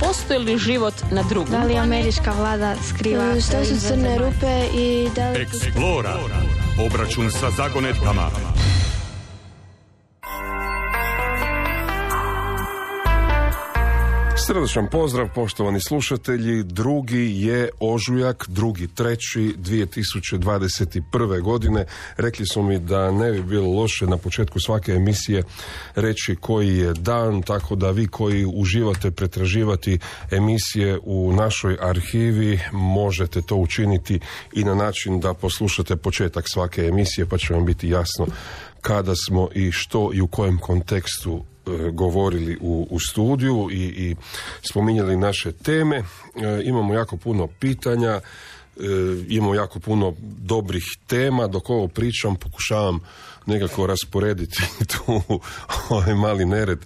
postoji li život na drugom? Da li američka vlada skriva? Što su crne rupe i da li... Explora. Obračun sa zagonetkama. Srdačan pozdrav, poštovani slušatelji. 2. je ožujak, 2.3.2021. godine. Rekli su mi da ne bi bilo loše na početku svake emisije reći koji je dan, tako da vi koji uživate pretraživati emisije u našoj arhivi možete to učiniti i na način da poslušate početak svake emisije, pa će vam biti jasno kada smo i što i u kojem kontekstu govorili u studiju i spominjali naše teme. Imamo jako puno pitanja, imamo jako puno dobrih tema. Dok ovo pričam, pokušavam nekako rasporediti tu ovaj mali nered.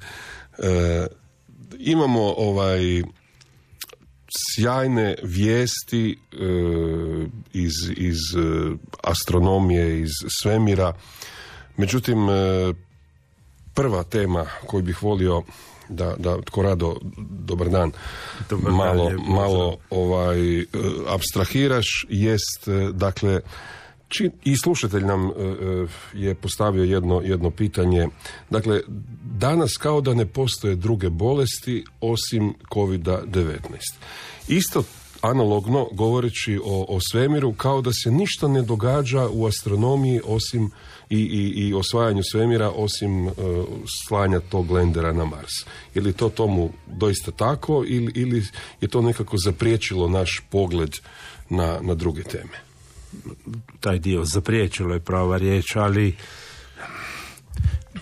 Imamo sjajne vijesti iz astronomije, iz svemira. Međutim, prva tema koju bih volio da tko rado, dobar dan, malo apstrahiraš, jest, dakle, i slušatelj nam je postavio jedno pitanje. Dakle, danas kao da ne postoje druge bolesti osim COVID-19. Isto analogno govoreći o svemiru, kao da se ništa ne događa u astronomiji osim i osvajanju svemira osim slanja tog lendera na Mars. Je li to tomu doista tako ili je to nekako zapriječilo naš pogled na druge teme? Taj dio zapriječilo je prava riječ, ali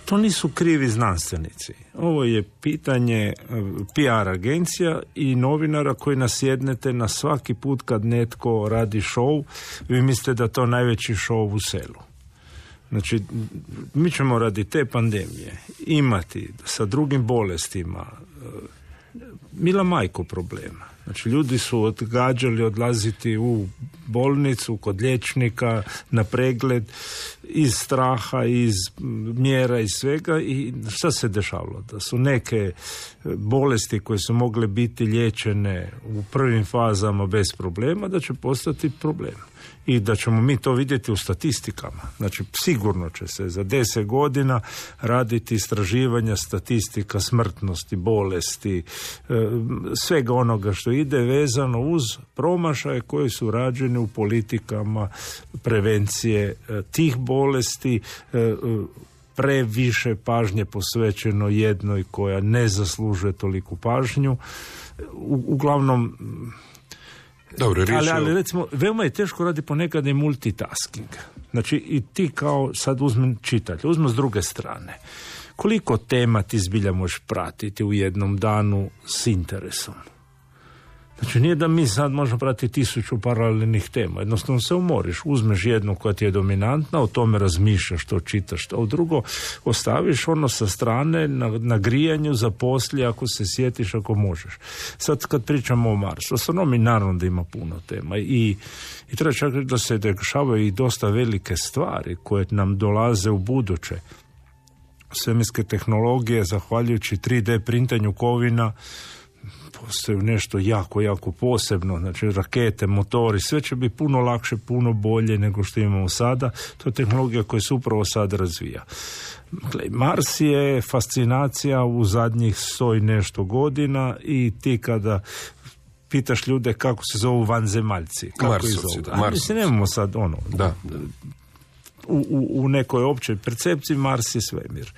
to nisu krivi znanstvenici. Ovo je pitanje PR agencija i novinara koji nasjednete na svaki put kad netko radi show, vi mislite da to najveći show u selu. Znači, mi ćemo radi te pandemije imati sa drugim bolestima mila majko problema. Znači, ljudi su odgađali odlaziti u bolnicu, kod liječnika, na pregled, iz straha, iz mjera, iz svega. I šta se dešavalo? Da su neke bolesti koje su mogle biti liječene u prvim fazama bez problema, da će postati problem. I da ćemo mi to vidjeti u statistikama. Znači, sigurno će se za 10 godina raditi istraživanja, statistika, smrtnosti, bolesti, svega onoga što ide vezano uz promašaje koji su rađeni u politikama prevencije tih bolesti, previše pažnje posvećeno jednoj koja ne zaslužuje toliku pažnju. Uglavnom, dobro, ali recimo, veoma je teško radi ponekad i multitasking. Znači, i ti kao sad uzmem čitatelj, uzmem s druge strane. Koliko tema ti zbilja možeš pratiti u jednom danu s interesom? Znači, nije da mi sad možemo pratiti 1000 paralelnih tema. Jednostavno se umoriš, uzmeš jednu koja ti je dominantna, o tome razmišljaš, što čitaš, a drugo ostaviš ono sa strane na grijanju za poslije, ako se sjetiš, ako možeš. Sad kad pričamo o Marsu, astronomi naravno da ima puno tema i treba čak reći da se dešavaju i dosta velike stvari koje nam dolaze u buduće. Svemirske tehnologije, zahvaljujući 3D printanju kovina, postoji nešto jako, jako posebno, znači rakete, motori, sve će biti puno lakše, puno bolje nego što imamo sada. To je tehnologija koja se upravo sad razvija. Mars je fascinacija u zadnjih 100 i nešto godina i ti kada pitaš ljude kako se zovu vanzemaljci, kako ih zovu. Mislim, nemamo sad ono... Da. U nekoj općoj percepciji Mars je svemir.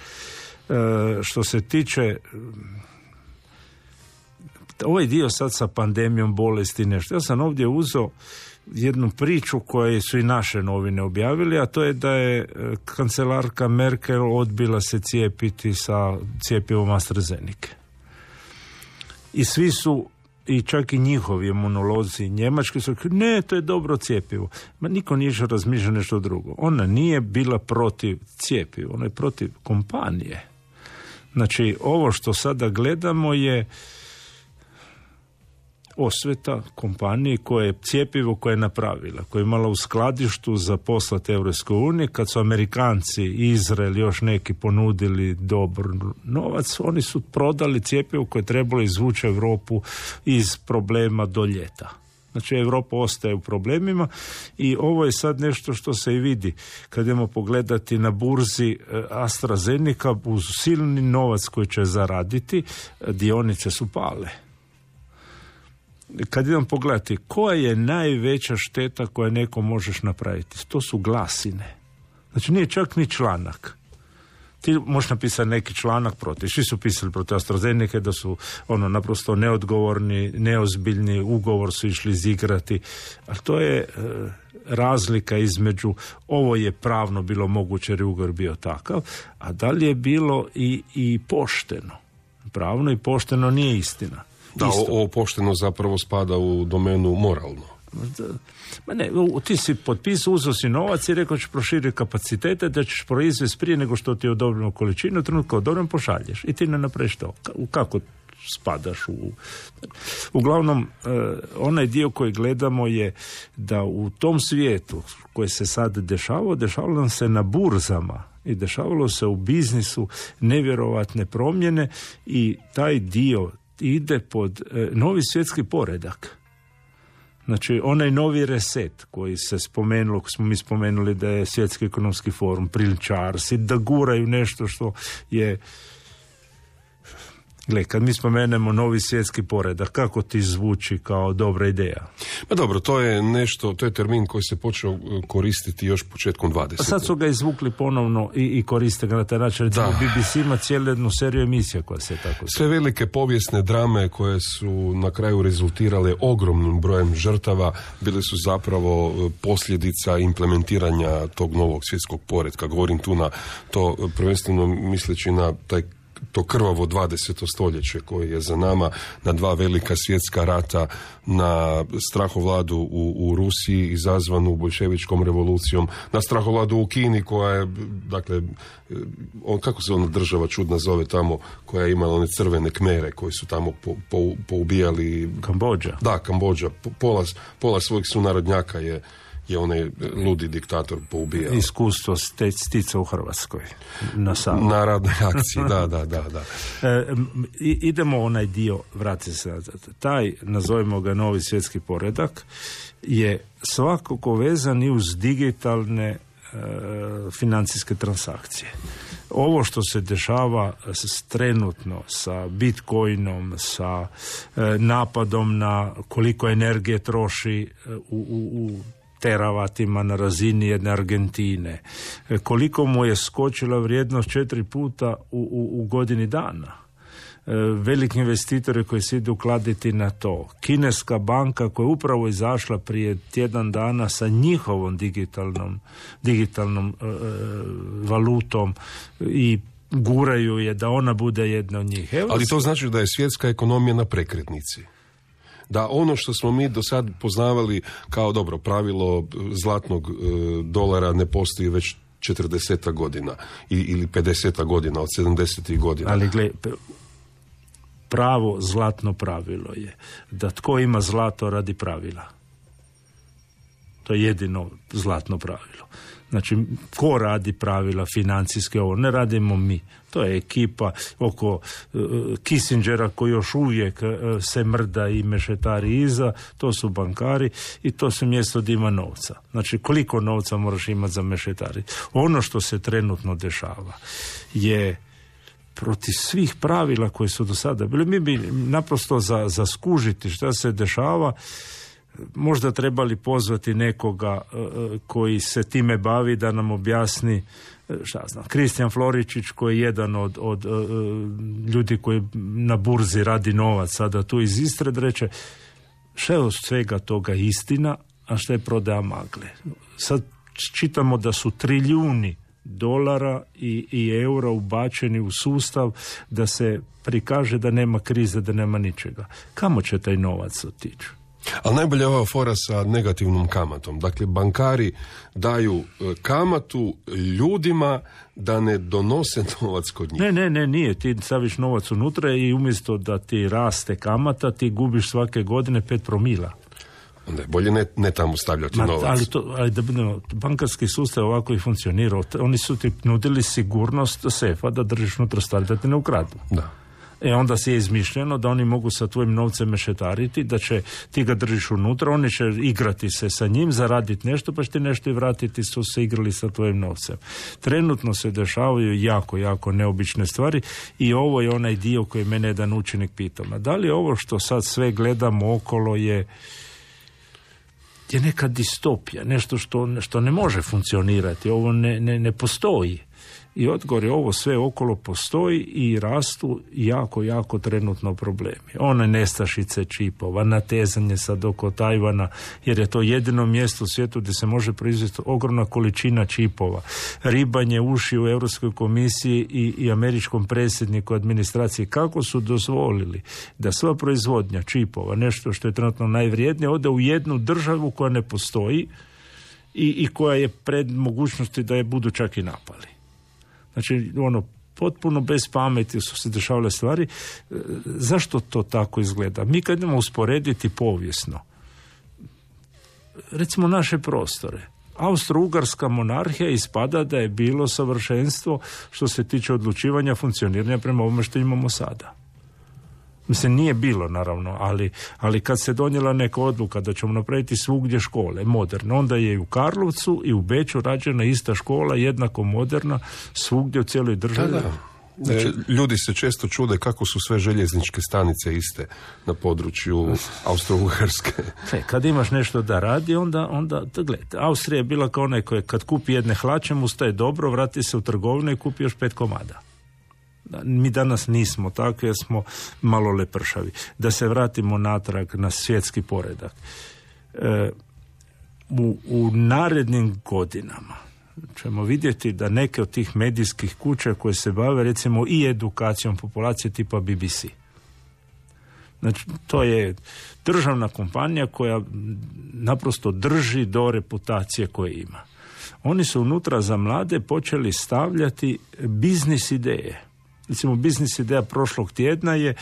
Što se tiče ovaj dio sad sa pandemijom bolesti nešto. Ja sam ovdje uzeo jednu priču koju su i naše novine objavili, a to je da je kancelarka Merkel odbila se cijepiti sa cjepivom AstraZeneca. I svi su, i čak i njihovi imunolozi njemački su rekli, ne, to je dobro cjepivo. Ma niko nije razmišljao nešto drugo. Ona nije bila protiv cjepiva, ona je protiv kompanije. Znači, ovo što sada gledamo je osveta kompanije koje je cjepivo koje je napravila, koje je imala u skladištu za poslati Europskoj uniji. Kad su Amerikanci, Izrael, još neki ponudili dobar novac, oni su prodali cjepivo koje je trebalo izvući Europu iz problema do ljeta. Znači, Europa ostaje u problemima i ovo je sad nešto što se i vidi. Kad idemo pogledati na burzi AstraZeneca, uz silni novac koji će zaraditi, dionice su pale. Kad idem pogledati koja je najveća šteta koja nekom možeš napraviti, to su glasine. Znači, nije čak ni članak. Ti možeš napisati neki članak protiv. Svi su pisali protiv AstraZeneca da su naprosto neodgovorni, neozbiljni, ugovor su išli izigrati. Ali to je razlika između ovo je pravno bilo moguće jer je ugovor bio takav, a da li je bilo i pošteno. Pravno i pošteno nije istina. Da, ovo pošteno zapravo spada u domenu moralno. Ma ne, ti si potpisao, uzeo si novac i rekao ćeš proširiti kapacitete, da ćeš proizvesti prije nego što ti je odobreno količinu, trenutno odobren pošalješ i ti ne napraviš to. Kako spadaš Uglavnom, onaj dio koji gledamo je da u tom svijetu koji se sad dešavalo nam se na burzama i dešavalo se u biznisu nevjerovatne promjene i taj dio ide pod novi svjetski poredak. Znači, onaj novi reset koji se spomenulo, koji smo mi spomenuli da je Svjetski ekonomski forum, priličarsi, da guraju nešto što je... Gle, kad mi spomenemo novi svjetski poredak, kako ti zvuči kao dobra ideja? Pa dobro, to je nešto, to je termin koji se počeo koristiti još početkom 20. A sad su ga izvukli ponovno i koriste ga na taj način. Recimo, BBC ima cijelu jednu seriju emisija koja se tako... Sve velike povijesne drame koje su na kraju rezultirale ogromnim brojem žrtava bile su zapravo posljedica implementiranja tog novog svjetskog poretka. Govorim tu na to prvenstveno misleći na to krvavo 20. stoljeće koje je za nama, na dva velika svjetska rata, na strahovladu u Rusiji izazvanu boljševičkom revolucijom, na strahovladu u Kini koja je, dakle, kako se ona država čudna zove tamo, koja je imala one crvene kmere koji su tamo poubijali... Kambodža. Da, Kambodža. Pola svojih sunarodnjaka je onaj ludi diktator poubijao. Iskustvo stica u Hrvatskoj. Na radnoj akciji, da. Idemo onaj dio, vrati se. Taj, nazovimo ga novi svjetski poredak, je svakako vezan i uz digitalne financijske transakcije. Ovo što se dešava trenutno sa Bitcoinom, sa napadom na koliko energije troši u teravatima na razini jedne Argentine, koliko mu je skočila vrijednost 4 puta u godini dana. Veliki investitori koji se idu kladiti na to. Kineska banka koja je upravo izašla prije tjedan dana sa njihovom digitalnom valutom i guraju je da ona bude jedna od njih. Ali to znači da je svjetska ekonomija na prekretnici. Da ono što smo mi do sad poznavali kao dobro pravilo zlatnog dolara ne postoji već 40 godina ili 50 godina od 70 godina. Ali pravo zlatno pravilo je da tko ima zlato radi pravila. To je jedino zlatno pravilo. Znači, ko radi pravila financijske, ovo ne radimo mi. To je ekipa oko Kissingera koji još uvijek se mrda i mešetari iza, to su bankari i to su mjesto gdje ima novca. Znači, koliko novca moraš imati za mešetari? Ono što se trenutno dešava je protiv svih pravila koji su do sada bili. Mi bi naprosto za skužiti šta se dešava možda trebali pozvati nekoga koji se time bavi da nam objasni, šta znam, Kristijan Floričić koji je jedan od ljudi koji na burzi radi novac sada tu iz Istre, da reče šta je od svega toga istina, a šta je prodaja magle. Sad čitamo da su trilijuni dolara i eura ubačeni u sustav da se prikaže da nema krize, da nema ničega. Kamo će taj novac otići? Ali najbolje je ova fora sa negativnom kamatom. Dakle, bankari daju kamatu ljudima da ne donose novac kod njih. Ne, nije. Ti staviš novac unutra i umjesto da ti raste kamata, ti gubiš svake godine 5 promila. Onda je bolje ne tamo stavljati novac. Ali da budemo, bankarski sustav ovako i funkcionirao. Oni su ti nudili sigurnost sefa da držiš unutra stvari, da ti ne ukradu. Da. Onda si je izmišljeno da oni mogu sa tvojim novcem mešetariti, da će ti ga držiš unutra, oni će igrati se sa njim, zaraditi nešto, pa će ti nešto i vratiti, su se igrali sa tvojim novcem. Trenutno se dešavaju jako neobične stvari i ovo je onaj dio koji mene jedan učenik pitao. Da li ovo što sad sve gledamo okolo je neka distopija, nešto što ne može funkcionirati, ovo ne postoji. I odgovor je, ovo sve okolo postoji i rastu jako trenutno problemi. One nestašice čipova, natezanje sad oko Tajvana, jer je to jedino mjesto u svijetu gdje se može proizvesti ogromna količina čipova. Ribanje uši u Europskoj komisiji i američkom predsjedniku administraciji. Kako su dozvolili da sva proizvodnja čipova, nešto što je trenutno najvrijednije, ode u jednu državu koja ne postoji i koja je pred mogućnosti da je budu čak i napali. Znači, potpuno bez pameti su se dešavale stvari. Zašto to tako izgleda? Mi kad idemo usporediti povijesno, recimo naše prostore, Austro-Ugarska monarhija ispada da je bilo savršenstvo što se tiče odlučivanja, funkcioniranja prema ovome što imamo sada. Mislim, nije bilo, naravno, ali kad se donijela neka odluka da ćemo napraviti svugdje škole moderne, onda je i u Karlovcu i u Beču rađena ista škola, jednako moderna, svugdje u cijeloj državi. Da. Ljudi se često čude kako su sve željezničke stanice iste na području Austro-Ugarske. Kad imaš nešto da radi, onda gledaj, Austrija je bila kao onaj koji kad kupi jedne hlače, mu staje dobro, vrati se u trgovinu i kupi još 5 komada. Mi danas nismo takvi, jer smo malo lepršavi. Da se vratimo natrag na svjetski poredak. U narednim godinama ćemo vidjeti da neke od tih medijskih kuća koje se bave recimo i edukacijom populacije tipa BBC. Znači, to je državna kompanija koja naprosto drži do reputacije koje ima. Oni su unutra za mlade počeli stavljati biznis ideje. Recimo, biznis ideja prošlog tjedna je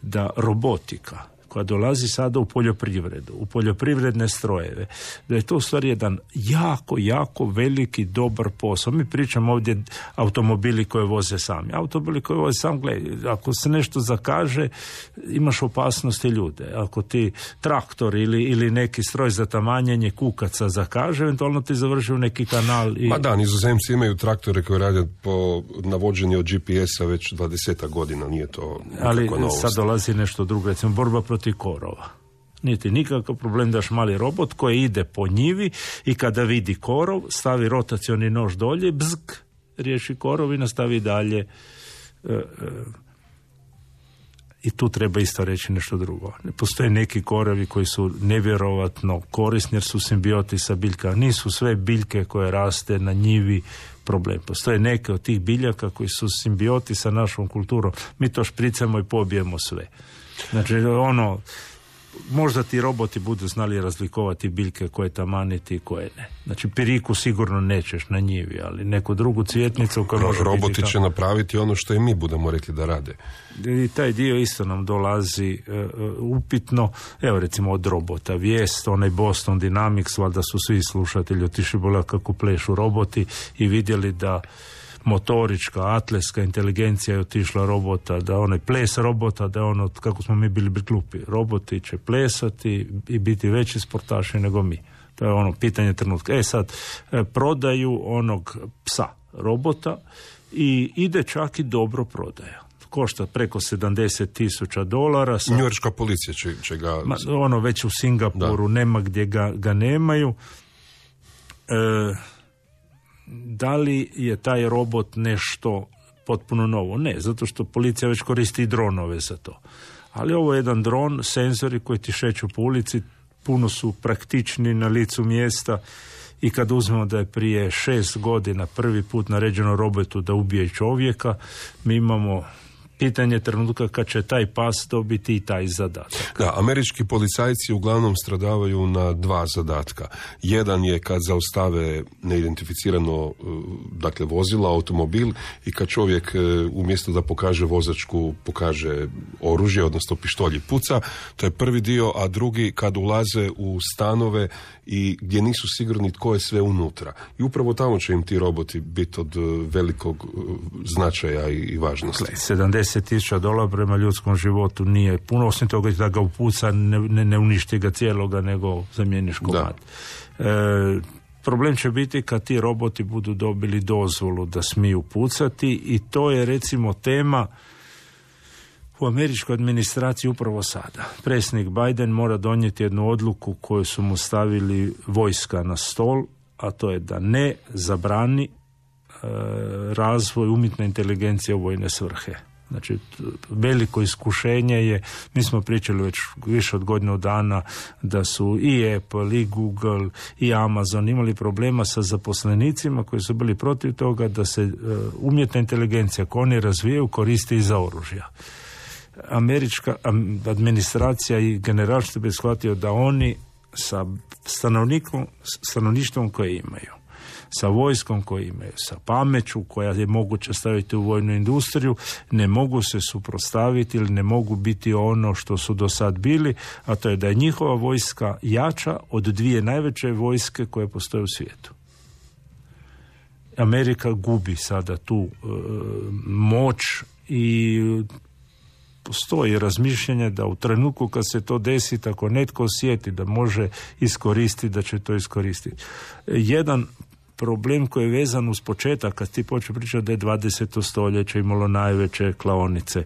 da robotika koja dolazi sada u poljoprivredu, u poljoprivredne strojeve, da je to u stvari jedan jako veliki, dobar posao. Mi pričamo ovdje automobili koje voze sami. Automobili koje voze sami, gledaj, ako se nešto zakaže, imaš opasnosti ljude. Ako ti traktor ili neki stroj za tamanjenje kukaca zakaže, eventualno ti završi u neki kanal. Ma da, Nizozemci imaju traktore koji rade po navođenju od GPS-a već 20 godina, nije to nikakva novost. Ali sad dolazi nešto drugo, recimo borba protiv korova. Nije ti nikakav problem daš mali robot koji ide po njivi i kada vidi korov, stavi rotacioni nož dolje, bzk, riješi korov i nastavi dalje. I tu treba isto reći nešto drugo. Postoje neki korovi koji su nevjerovatno korisni jer su simbioti sa biljkama. Nisu sve biljke koje raste na njivi problem. Postoje neke od tih biljaka koji su simbioti sa našom kulturom. Mi to špricamo i pobijemo sve. Znači, možda ti roboti budu znali razlikovati biljke koje tamaniti i koje ne. Znači, piriku sigurno nećeš na njivi, ali neku drugu cvjetnicu koja može roboti će napraviti ono što i mi budemo rekli da rade. I taj dio isto nam dolazi upitno. Evo, recimo, od robota vijest, onaj Boston Dynamics, valjda su svi slušatelji otišli bola kako plešu roboti i vidjeli da motorička, atletska inteligencija je otišla robota, da onaj ples robota, da ono, kako smo mi bili glupi. Roboti će plesati i biti veći sportaši nego mi. To je ono pitanje trenutka. Sad, prodaju onog psa robota i ide čak i dobro prodaja. Košta preko $70,000. Njujorška policija će ga... Ono već u Singapuru, da. Nema gdje ga nemaju. Da li je taj robot nešto potpuno novo? Ne, zato što policija već koristi dronove za to. Ali ovo je jedan dron, senzori koji ti šeću po ulici, puno su praktični na licu mjesta i kad uzmemo da je prije 6 godina prvi put naređeno robotu da ubije čovjeka, mi imamo pitanje trenutka kad će taj pas dobiti i taj zadatak. Da, američki policajci uglavnom stradavaju na dva zadatka. Jedan je kad zaustave neidentificirano vozilo, automobil, i kad čovjek umjesto da pokaže vozačku, pokaže oružje, odnosno pištolj i puca. To je prvi dio, a drugi kad ulaze u stanove i gdje nisu sigurni tko je sve unutra. I upravo tamo će im ti roboti biti od velikog značaja i važnosti. $70,000 prema ljudskom životu nije puno, osim toga da ga upuca, ne uništi ga cijeloga, nego zamijeniš komad. Problem će biti kad ti roboti budu dobili dozvolu da smiju pucati, i to je recimo tema u američkoj administraciji upravo sada. Predsjednik Biden mora donijeti jednu odluku koju su mu stavili vojska na stol, a to je da ne zabrani razvoj umjetne inteligencije u vojne svrhe. Znači, veliko iskušenje je, mi smo pričali već više od godinu dana da su i Apple, i Google, i Amazon imali problema sa zaposlenicima koji su bili protiv toga da se umjetna inteligencija koju oni razvijaju koristi i za oružja. Američka administracija i generalstvo bi shvatio da oni sa stanovništvom koje imaju, sa vojskom koju imaju, sa pameću koja je moguće staviti u vojnu industriju, ne mogu se suprotstaviti ili ne mogu biti ono što su do sad bili, a to je da je njihova vojska jača od dvije najveće vojske koje postoje u svijetu. Amerika gubi sada tu moć i postoji razmišljanje da u trenutku kad se to desi, ako netko osjeti da može iskoristiti, da će to iskoristiti. Jedan problem koji je vezan uz početak, kad ti počeo pričati da je 20. stoljeće imalo najveće klaonice.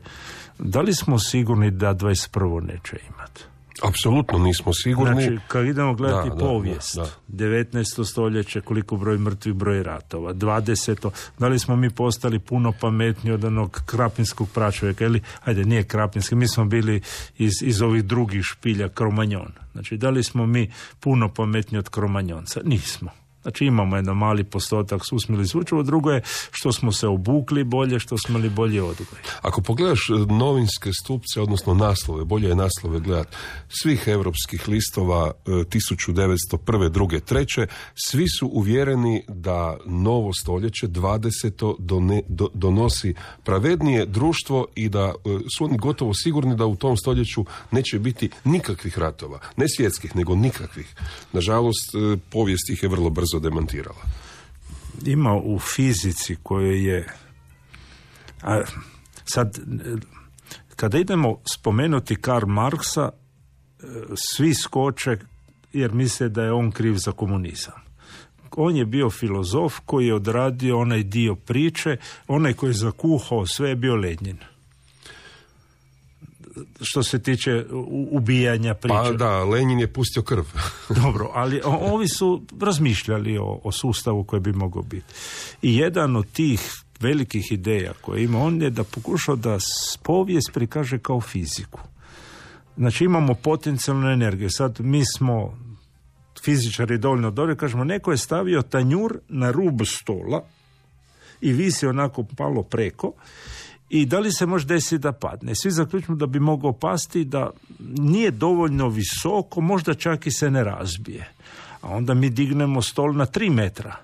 Da li smo sigurni da 21. neće imati? Apsolutno nismo sigurni. Znači, kad idemo gledati povijest, 19. stoljeće, koliko broj mrtvih, broj ratova, 20. Da li smo mi postali puno pametniji od onog krapinskog pračovjeka, ili, ajde, nije krapinski, mi smo bili iz ovih drugih špilja, Kromanjon. Znači, da li smo mi puno pametniji od Kromanjonca? Nismo. Znači, imamo jedan mali postotak susmili zvučevo, drugo je što smo se obukli bolje, što smo li bolje odgoj. Ako pogledaš novinske stupce, odnosno naslove, bolje je naslove gledati, svih europskih listova 1901. 2. 3. svi su uvjereni da novo stoljeće 20. donosi pravednije društvo i da su oni gotovo sigurni da u tom stoljeću neće biti nikakvih ratova. Ne svjetskih, nego nikakvih. Nažalost, povijest ih je vrlo brzo demantirala. Ima u fizici koje je... sad, kada idemo spomenuti Karl Marksa, svi skoče jer misle da je on kriv za komunizam. On je bio filozof koji je odradio onaj dio priče, onaj koji je zakuhao sve je bio Lenin. Što se tiče ubijanja priče. Pa da, Lenin je pustio krv. Dobro, ali ovi su razmišljali o sustavu koji bi mogao biti. I jedan od tih velikih ideja koje ima on je da pokušao da povijest prikaže kao fiziku. Znači imamo potencijalnu energiju. Sad mi smo fizičari dovoljno dobro, kažemo neko je stavio tanjur na rub stola i visi onako palo preko. I da li se može desiti da padne? Svi zaključimo da bi mogao pasti, da nije dovoljno visoko, možda čak i se ne razbije. A onda mi dignemo stol na 3 metra.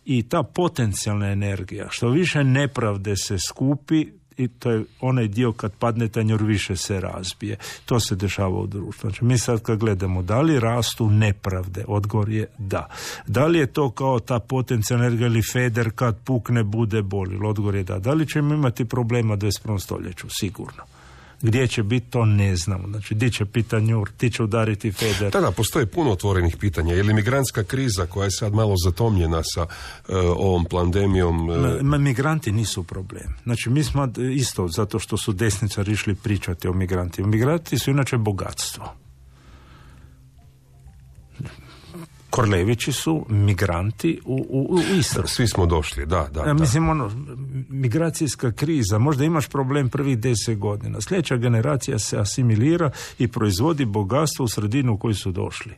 I ta potencijalna energija, što više nepravde se skupi, i to je onaj dio kad padne tanjur više se razbije. To se dešava u društvu. Znači, mi sad kad gledamo da li rastu nepravde, odgovor je da. Da li je to kao ta potencijalna energija ili feder kad pukne bude boli? Odgovor je da. Da li ćemo imati problema u 21. stoljeću? Sigurno. Gdje će biti, to ne znamo. Znači, di će biti tanjur, ti će udariti feder. Da, postoji puno otvorenih pitanja. Je li migrantska kriza koja je sad malo zatomljena sa ovom pandemijom? Migranti nisu problem. Znači, mi smo isto, zato što su desničari išli pričati o migrantima. Migranti su inače bogatstvo. Korlevići su migranti u Istru. Svi smo došli, da. Mislim, migracijska kriza, možda imaš problem prvih 10 godina. Sljedeća generacija se asimilira i proizvodi bogatstvo u sredinu u koju su došli.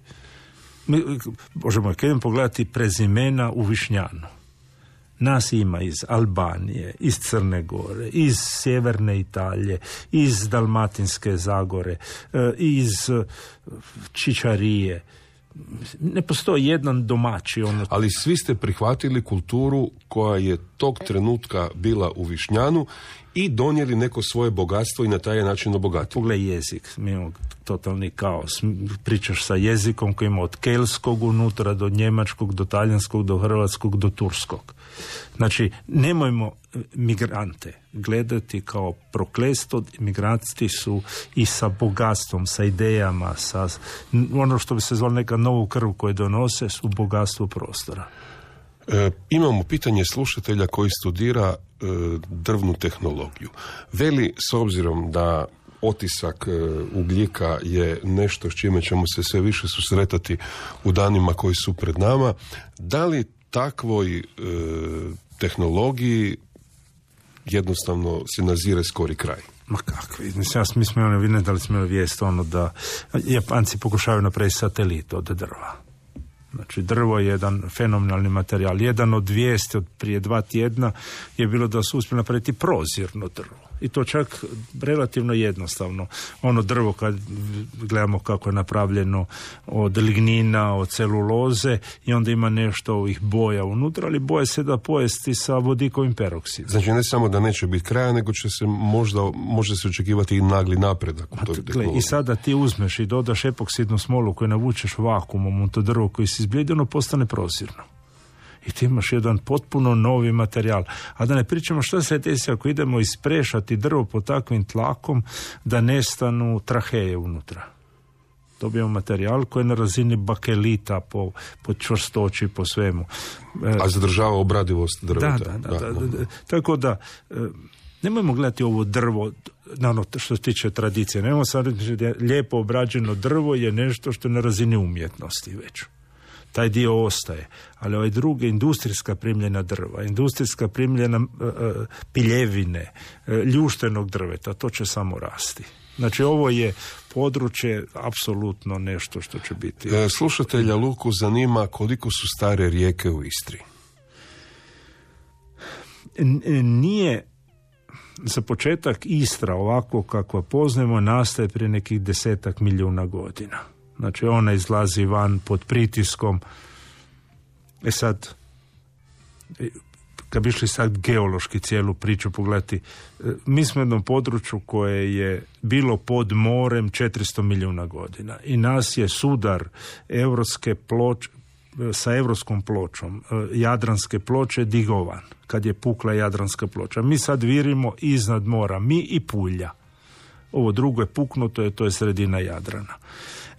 Možemo, kad idem pogledati prezimena u Višnjanu. Nas ima iz Albanije, iz Crne Gore, iz sjeverne Italije, iz Dalmatinske Zagore, iz Čičarije. Ne postoji jedan domaći. Ali svi ste prihvatili kulturu koja je tog trenutka bila u Višnjanu i donijeli neko svoje bogatstvo i na taj način obogatili. Pogledaj jezik, mi imamo totalni kaos. Pričaš sa jezikom koji ima od kelskog unutra do njemačkog, do talijanskog, do hrvatskog, do turskog. Znači, nemojmo migrante gledati kao prokletstvo. Migranti su i sa bogatstvom, sa idejama, sa ono što bi se zvalo neka novu krv koju donose, su bogatstvo prostora. Imamo pitanje slušatelja koji studira drvnu tehnologiju. Veli, s obzirom da otisak ugljika je nešto s čime ćemo se sve više susretati u danima koji su pred nama, da li takvoj tehnologiji jednostavno se nazire skori kraj? Ma kakvi, mi smo vidjeli da li smo vijest da Japanci pokušavaju napraviti satelit od drva. Znači, drvo je jedan fenomenalni materijal. Jedan od vijesti od prije 2 tjedna je bilo da su uspjeli napraviti prozirno drvo. I to čak relativno jednostavno. Ono drvo, kad gledamo kako je napravljeno od lignina, od celuloze, i onda ima nešto ovih boja unutra, ali boje se da pojesti sa vodikovim peroksidom. Znači, ne samo da neće biti kraja, nego će se može se očekivati i nagli napredak u toj tehnologiji. I sada ti uzmeš i dodaš epoksidnu smolu koju navučeš vakuumom u to drvo koji se izbljedi, ono postane prozirno. I ti imaš jedan potpuno novi materijal. A da ne pričamo što se desi ako idemo isprešati drvo pod takvim tlakom da nestanu traheje unutra. Dobijemo materijal koji je na razini bakelita po čvrstoći, po svemu. A zadržava obradivost drveta. Da. Tako da, nemojmo gledati ovo drvo na ono što se tiče tradicije. Nemojmo sad reći da lijepo obrađeno drvo je nešto što je na razini umjetnosti već. Taj dio ostaje, ali ovaj drugi, industrijska primljena drva, industrijska primljena piljevine, ljuštenog drveta, to će samo rasti. Znači, ovo je područje apsolutno nešto što će biti. Slušatelja Luku zanima koliko su stare rijeke u Istri. Nije za početak Istra ovako kako poznajemo nastaje prije nekih 10 milijuna godina. Znači, ona izlazi van pod pritiskom. Sad, kad bi išli sad geološki cijelu priču pogledati, mi smo u jednom području koje je bilo pod morem 400 milijuna godina. I nas je sudar evropske ploče, sa evropskom pločom, Jadranske ploče, digovan, kad je pukla Jadranska ploča. Mi sad virimo iznad mora, mi i Pulja. Ovo drugo je puknuto, to je sredina Jadrana.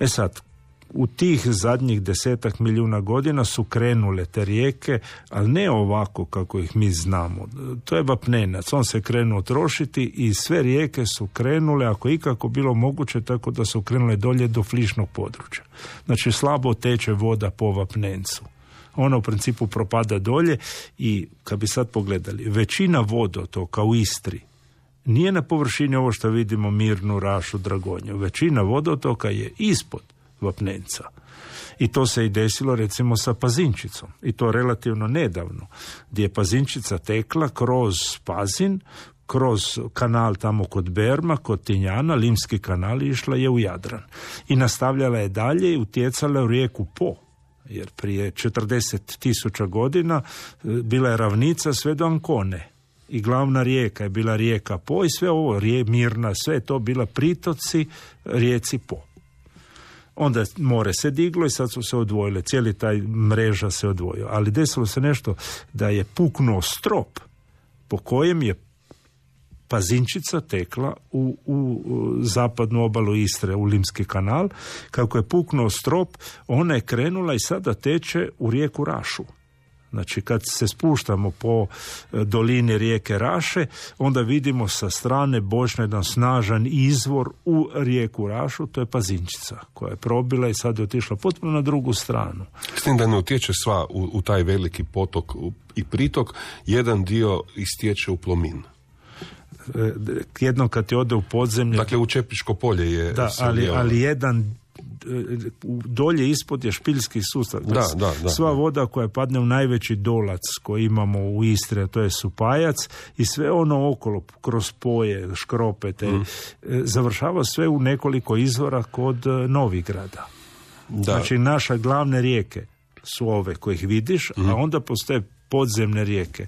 Sad, u tih zadnjih 10 milijuna godina su krenule te rijeke, ali ne ovako kako ih mi znamo. To je vapnenac, on se krenuo trošiti i sve rijeke su krenule, ako ikako bilo moguće, tako da su krenule dolje do flišnog područja. Znači, slabo teče voda po vapnencu. Ona u principu propada dolje i, kad bi sad pogledali, većina vodotoka u Istri nije na površini ovo što vidimo Mirnu, Rašu, Dragonju. Većina vodotoka je ispod vapnenca. I to se i desilo recimo sa Pazinčicom. I to relativno nedavno, gdje je Pazinčica tekla kroz Pazin, kroz kanal tamo kod Berma, kod Tinjana, Limski kanal, i išla je u Jadran. I nastavljala je dalje i utjecala u rijeku Po. Jer prije 40.000 godina bila je ravnica sve do Ancone. I glavna rijeka je bila rijeka Po i sve ovo, Mirna, sve je to bila pritoci rijeci Po. Onda more se diglo i sad su se odvojile, cijeli taj mreža se odvojio. Ali desilo se nešto da je puknuo strop po kojem je Pazinčica tekla u zapadnu obalu Istre, u Limski kanal. Kako je puknuo strop, ona je krenula i sada teče u rijeku Rašu. Znači, kad se spuštamo po dolini rijeke Raše, onda vidimo sa strane bočne jedan snažan izvor u rijeku Rašu, to je Pazinčica, koja je probila i sad je otišla potpuno na drugu stranu. S tim da ne utječe sva u taj veliki potok i pritok, jedan dio istječe u Plomin. Jednom kad ti ode u podzemlje... Dakle, u Čepičko polje je... Da, ali jedan dolje ispod je špiljski sustav. Sva voda koja padne u najveći dolac koji imamo u Istri, a to je Supajac, i sve ono okolo, kroz Poje, Škrope, završava sve u nekoliko izvora kod Novigrada. Znači, naše glavne rijeke su ove kojih vidiš, a onda postoje podzemne rijeke.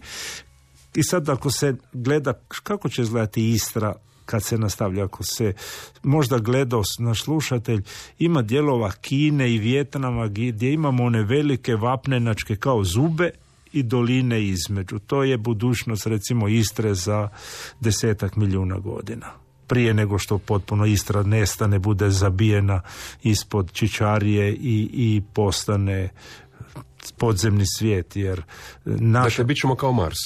I sad ako se gleda kako će izgledati Istra kad se nastavlja, ako se možda gledao naš slušatelj, ima dijelova Kine i Vijetnama gdje imamo one velike vapnenačke kao zube i doline između. To je budućnost, recimo, Istre za 10 milijuna godina. Prije nego što potpuno Istra nestane, bude zabijena ispod Čičarije i postane podzemni svijet, jer Dakle, bit ćemo kao Mars.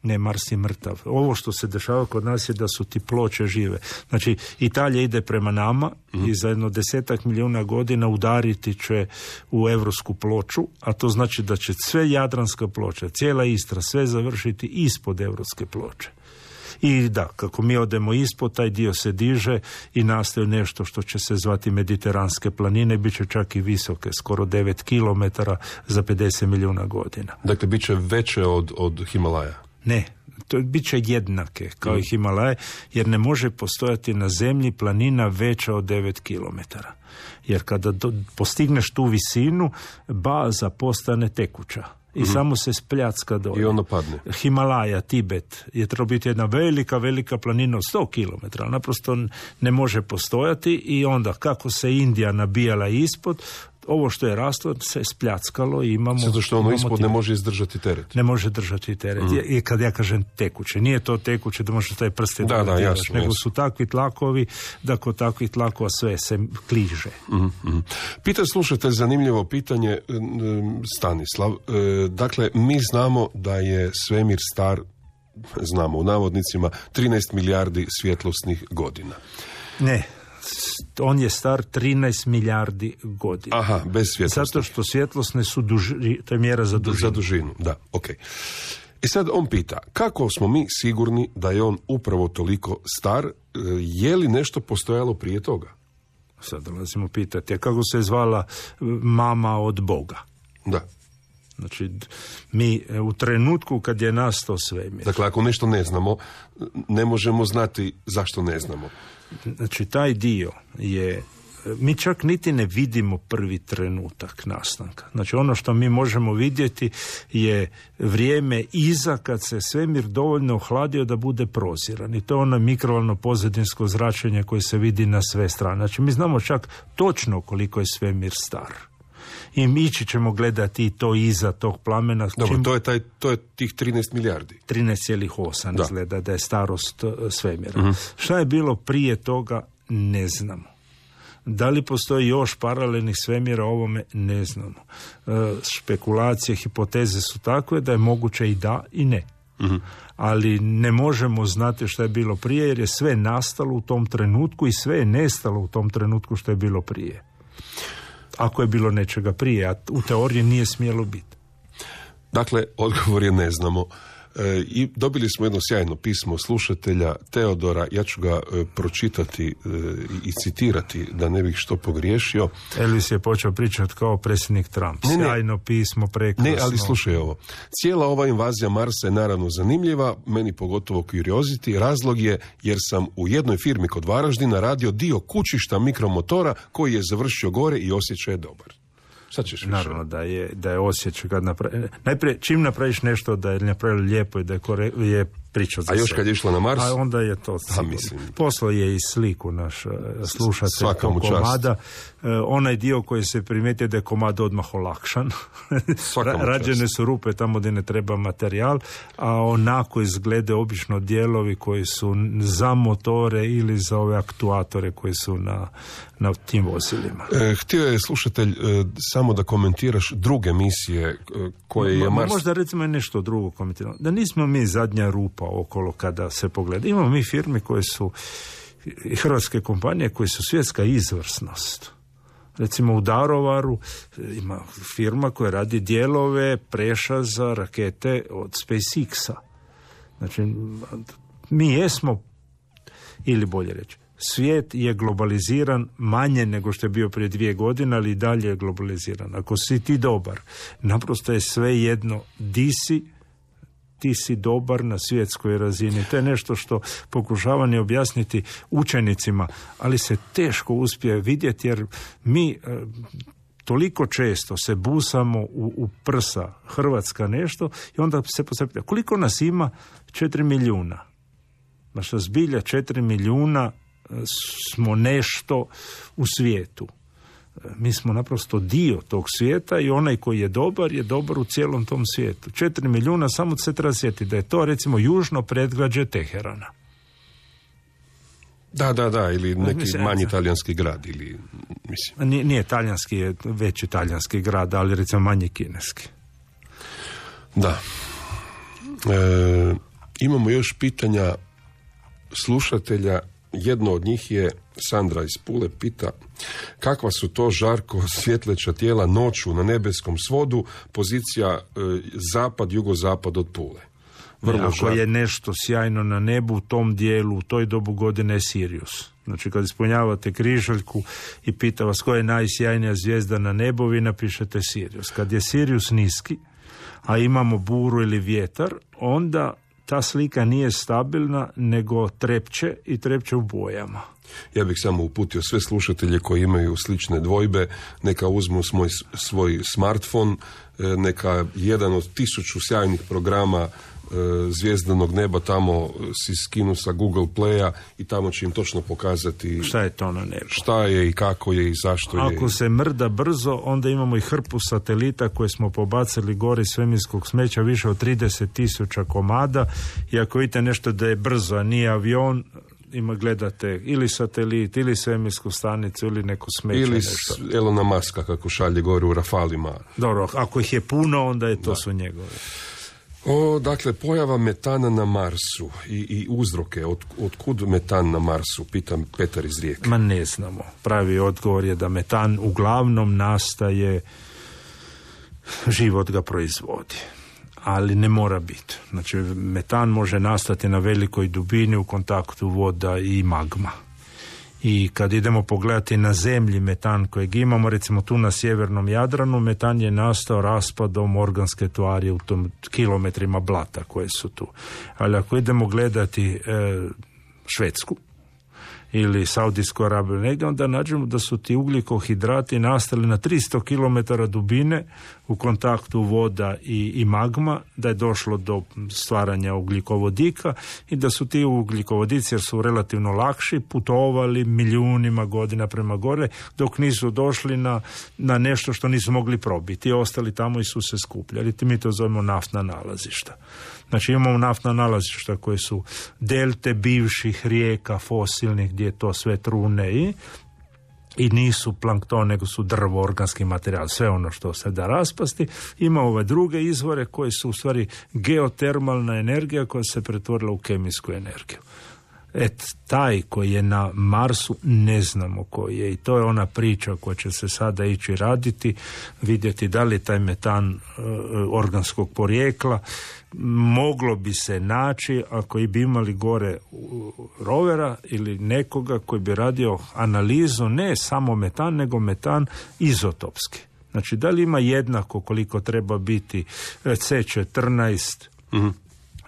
Ne, Mars je mrtav. Ovo što se dešava kod nas je da su ti ploče žive. Znači, Italija ide prema nama i za jedno 10 milijuna godina udariti će u evropsku ploču, a to znači da će sve jadranska ploča, cijela Istra, sve završiti ispod evropske ploče. I da, kako mi odemo ispod, taj dio se diže i nastaje nešto što će se zvati Mediteranske planine, bit će čak i visoke, skoro 9 kilometara za 50 milijuna godina. Dakle, bit će veće od Himalaja? Ne, to bit će jednake kao i Himalaje, jer ne može postojati na zemlji planina veća od 9 kilometara. Jer kada postigneš tu visinu, baza postane tekuća. I samo se spljacka dolje. I ono padne. Himalaja, Tibet je trebao biti jedna velika planina od 100 km, ali naprosto ne može postojati i onda kako se Indija nabijala ispod, ovo što je raslo se spljackalo i imamo... Zato što ono ispod ne može izdržati teret. Ne može držati teret. I kad ja kažem tekuće, nije to tekuće da možeš taj prste jasno, nego su takvi tlakovi da kod takvih tlakova sve se kliže. Pita slušatelj zanimljivo pitanje, Stanislav. Dakle, mi znamo da je svemir star, znamo u navodnicima, 13 milijardi svjetlosnih godina. Ne, on je star 13 milijardi godina. Aha, bez svjetlosnih. Zato što svjetlosne su to je mjera za dužinu. Za dužinu, da, ok. I sad on pita, kako smo mi sigurni da je on upravo toliko star, je li nešto postojalo prije toga? Sad dolazimo pitati, kako se zvala mama od Boga? Da. Znači, mi u trenutku kad je nastao svemir... Dakle, ako nešto ne znamo, ne možemo znati zašto ne znamo. Znači, taj dio je... Mi čak niti ne vidimo prvi trenutak nastanka. Znači, ono što mi možemo vidjeti je vrijeme iza kad se svemir dovoljno ohladio da bude proziran. I to je ono mikrovalno pozadinsko zračenje koje se vidi na sve strane. Znači, mi znamo čak točno koliko je svemir star. I mi ćemo gledati to iza tog plamena. Dobro, to je tih 13 milijardi. 13,8 izgleda da je starost svemira. Šta je bilo prije toga, ne znamo. Da li postoji još paralelnih svemira ovome, ne znamo. Špekulacije, hipoteze su takve da je moguće i da i ne. Ali ne možemo znati što je bilo prije, jer je sve nastalo u tom trenutku i sve je nestalo u tom trenutku što je bilo prije. Ako je bilo nečega prije, a u teoriji nije smjelo biti. Dakle, odgovor je ne znamo. I dobili smo jedno sjajno pismo slušatelja Teodora, ja ću ga pročitati i citirati da ne bih što pogriješio. Elvis je počeo pričati kao predsjednik Trump. Sjajno pismo, prekrasno. Ne, ali slušaj ovo. Cijela ova invazija Marsa je naravno zanimljiva, meni pogotovo curiosity. Razlog je jer sam u jednoj firmi kod Varaždina radio dio kućišta mikromotora koji je završio gore i osjećaj je dobar. Sad ćeš naravno da je osjećaj kad najprije čim napraviš nešto da je napravili lijepo i da je priča za a još kad je išla na Mars? A onda je to poslao je i sliku naš slušatelj tog komada. Onaj dio koji se primijetio da je komad odmah olakšan. Rađene su rupe tamo gdje ne treba materijal, a onako izglede obično dijelovi koji su za motore ili za ove aktuatore koji su na tim vozilima. Htio je slušatelj samo da komentiraš druge misije koje je Mars... Možda recimo nešto drugo komentiramo. Da nismo mi zadnja rupa okolo kada se pogleda. Imamo mi firme koje su i hrvatske kompanije koje su svjetska izvrsnost. Recimo u Daruvaru ima firma koja radi dijelove preša za rakete od SpaceX-a. Znači, mi jesmo, ili bolje reći, Svijet je globaliziran manje nego što je bio prije 2 godine, ali i dalje je globaliziran. Ako si ti dobar, naprosto je sve jedno di si, ti si dobar na svjetskoj razini. To je nešto što pokušavam objasniti učenicima, ali se teško uspije vidjeti jer mi toliko često se busamo u prsa, Hrvatska nešto, i onda se postavlja koliko nas ima? 4 milijuna. Naša zbilja 4 milijuna smo nešto u svijetu. Mi smo naprosto dio tog svijeta i onaj koji je dobar u cijelom tom svijetu. 4 milijuna, samo se treba sjetiti da je to recimo južno predgrađe Teherana. Da, ili neki manji talijanski grad, ili mislim. Nije talijanski, je veći talijanski grad, ali recimo manji kineski. Da. Imamo još pitanja slušatelja. Jedno od njih je Sandra iz Pule, pita kakva su to, Žarko, svjetleća tijela noću na nebeskom svodu, pozicija zapad, jugozapad od Pule. Ako je nešto sjajno na nebu u tom dijelu, u toj dobu godine je Sirius. Znači kad ispunjavate križaljku i pita vas koja je najsjajnija zvijezda na nebu, vi napišete Sirius. Kad je Sirius niski, a imamo buru ili vjetar, onda ta slika nije stabilna, nego trepće i trepće u bojama. Ja bih samo uputio sve slušatelje koji imaju slične dvojbe, neka uzmu svoj smartfon, neka jedan od 1000 sjajnih programa zvijezdanog neba tamo si skinu sa Google Playa i tamo će im točno pokazati šta je to na nebu, šta je i kako je i zašto je. Ako se mrda brzo, onda imamo i hrpu satelita koje smo pobacili gore iz svemirskog smeća, više od 30,000 komada, i ako vidite nešto da je brzo, a nije avion, gledate ili satelit, ili svemirsku stanicu, ili neko smeće. Ili nešto. Elona Muska kako šalje gore u Rafalima. Dobro, ako ih je puno, onda je to su njegove. Dakle, pojava metana na Marsu i uzroke, otkud metan na Marsu, pitam Petar iz Rijeke. Ma ne znamo. Pravi odgovor je da metan uglavnom nastaje, život ga proizvodi. Ali ne mora biti. Znači, metan može nastati na velikoj dubini u kontaktu voda i magma. I kad idemo pogledati na zemlji metan kojeg imamo, recimo tu na sjevernom Jadranu, metan je nastao raspadom organske tvari u tom kilometrima blata koje su tu. Ali ako idemo gledati Švedsku ili Saudijsku Arabiju negdje, onda nađemo da su ti ugljikohidrati nastali na 300 km dubine u kontaktu voda i magma, da je došlo do stvaranja ugljikovodika i da su ti ugljikovodici, jer su relativno lakši, putovali milijunima godina prema gore, dok nisu došli na nešto što nisu mogli probiti. I ostali tamo i su se skupljali. Mi to zovemo naftna nalazišta. Znači imamo naftna nalazišta koje su delte bivših rijeka fosilnih gdje je to sve trune i nisu plankton, nego su drvo, organski materijal, sve ono što se da raspasti. Ima ove druge izvore koje su u stvari geotermalna energija koja se pretvorila u kemijsku energiju. Taj koji je na Marsu ne znamo koji je, i to je ona priča koja će se sada ići raditi, vidjeti da li je taj metan organskog porijekla. Moglo bi se naći ako bi imali gore rovera ili nekoga koji bi radio analizu ne samo metan, nego metan izotopski. Znači da li ima jednako koliko treba biti C14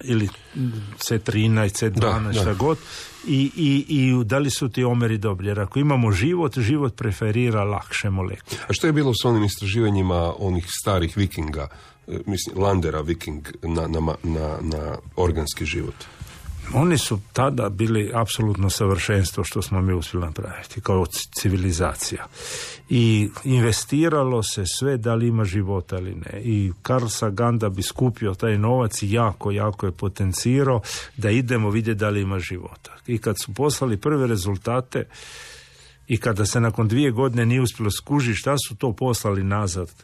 ili C13, C12, šta god, i da li su ti omeri dobri. Jer ako imamo život preferira lakše molekule. A što je bilo s onim istraživanjima onih starih vikinga, mislim, Landera viking na organski život? Oni su tada bili apsolutno savršenstvo što smo mi uspjeli napraviti kao civilizacija. I investiralo se sve da li ima života ili ne. I Carl Sagan da bi skupio taj novac i jako je potencirao da idemo vidjeti da li ima života. I kad su poslali prve rezultate i kada se nakon 2 godine nije uspjelo skužiti šta su to poslali nazad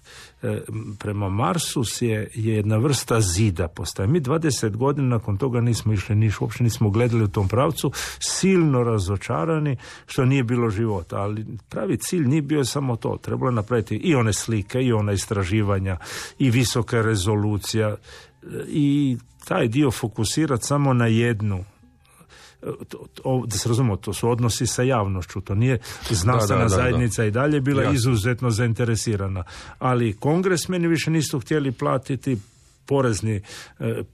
prema Marsu je jedna vrsta zida postaje. Mi 20 godina nakon toga nismo išli, uopće nismo gledali u tom pravcu, silno razočarani što nije bilo života, ali pravi cilj nije bio samo to, trebalo je napraviti i one slike, i ona istraživanja, i visoka rezolucija, i taj dio fokusirati samo na jednu da se razumemo, to su odnosi sa javnošću, to nije znanstvena zajednica i dalje bila izuzetno zainteresirana, ali kongresmeni više nisu htjeli platiti, porezni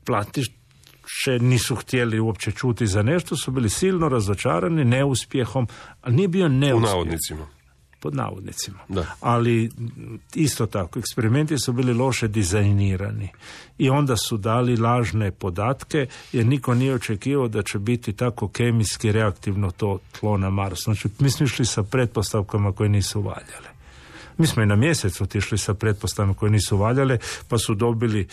platiše nisu htjeli uopće čuti za nešto, su bili silno razočarani neuspjehom, ali nije bio neuspjeh. Pod navodnicima. Da. Ali isto tako, eksperimenti su bili loše dizajnirani i onda su dali lažne podatke jer niko nije očekivao da će biti tako kemijski reaktivno to tlo na Marsu. Znači, mi smo išli sa pretpostavkama koje nisu valjale. Mi smo i na mjesec otišli sa pretpostavkama koje nisu valjale, pa su dobili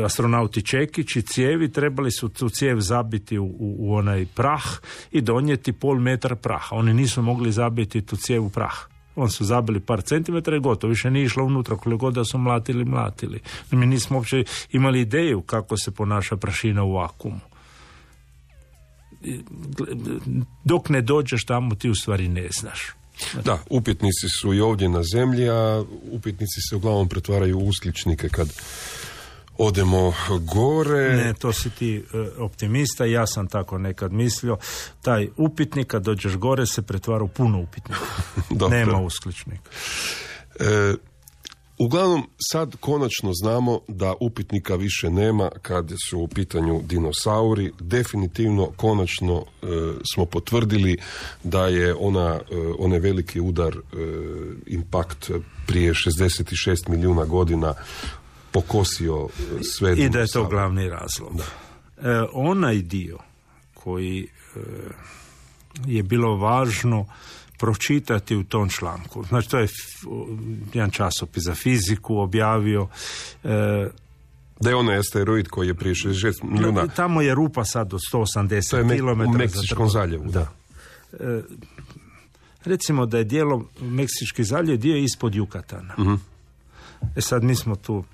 astronauti čekić i cijevi, trebali su tu cijev zabiti u onaj prah i donijeti 0,5 metra praha. Oni nisu mogli zabiti tu cijev u prah. On su zabili par centimetara i gotovo, više nije išlo unutra, koliko god da su mlatili. Mi nismo uopće imali ideju kako se ponaša prašina u vakuumu. Dok ne dođeš tamo, ti u stvari ne znaš. Da, upitnici su i ovdje na zemlji, a upitnici se uglavnom pretvaraju u uskličnike kad odemo gore. Ne, to si ti optimista, ja sam tako nekad mislio. Taj upitnik kad dođeš gore se pretvara u puno upitnika. Nema uskličnika. Uglavnom, sad konačno znamo da upitnika više nema kad su u pitanju dinosauri. Definitivno, konačno smo potvrdili da je onaj veliki udar, impakt prije 66 milijuna godina pokosio sve dinosaure. I da je to glavni razlog. Onaj dio koji je bilo važno pročitati u tom članku. Znači, to je jedan časopis za fiziku objavio. Da je onaj asteroid koji je prije 66 milijuna... Tamo je rupa sad od 180 km. U Meksičkom zaljevu. Da. Recimo da je dijelo Meksički zaljev dio ispod Jukatana. Uh-huh. Sad mi smo tu,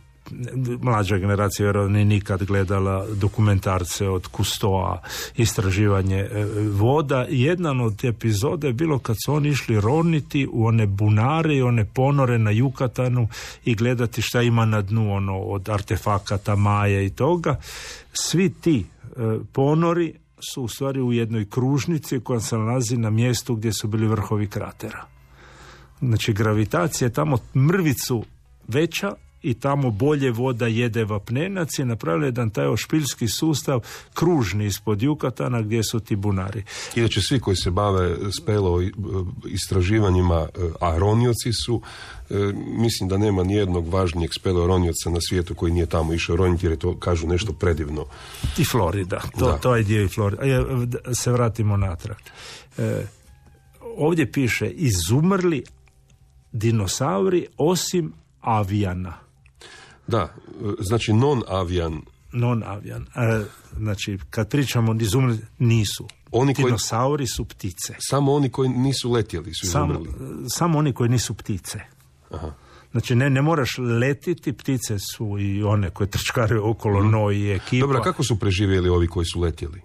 mlađa generacija vjerovatno nije nikad gledala dokumentarce od Cousteau, istraživanje voda. Jedan od epizoda je bilo kad su oni išli roniti u one bunare i one ponore na Jukatanu i gledati šta ima na dnu, od artefakata, maja i toga. Svi ti ponori su u stvari u jednoj kružnici koja se nalazi na mjestu gdje su bili vrhovi kratera. Znači, gravitacija je tamo mrvicu veća i tamo bolje voda jede vapnenac i napravili jedan taj ošpiljski sustav kružni ispod Jukatana gdje su ti bunari. Inače, svi koji se bave spelo istraživanjima aronioci su, mislim da nema nijednog važnijeg speleoronioca na svijetu koji nije tamo išao roniti, jer je to, kažu, nešto predivno. I Florida, to je dio i Florida. Se vratimo natrag. Ovdje piše izumrli dinosauri osim avijana. Da, znači non-avijan. Non-avijan. Znači, kad pričamo izumrli, nisu. Dinosauri su ptice. Samo oni koji nisu letjeli su izumrli. Samo oni koji nisu ptice. Aha. Znači, ne moraš letiti, ptice su i one koje trčkare okolo, noj i ekipa. Dobro, kako su preživjeli ovi koji su letjeli?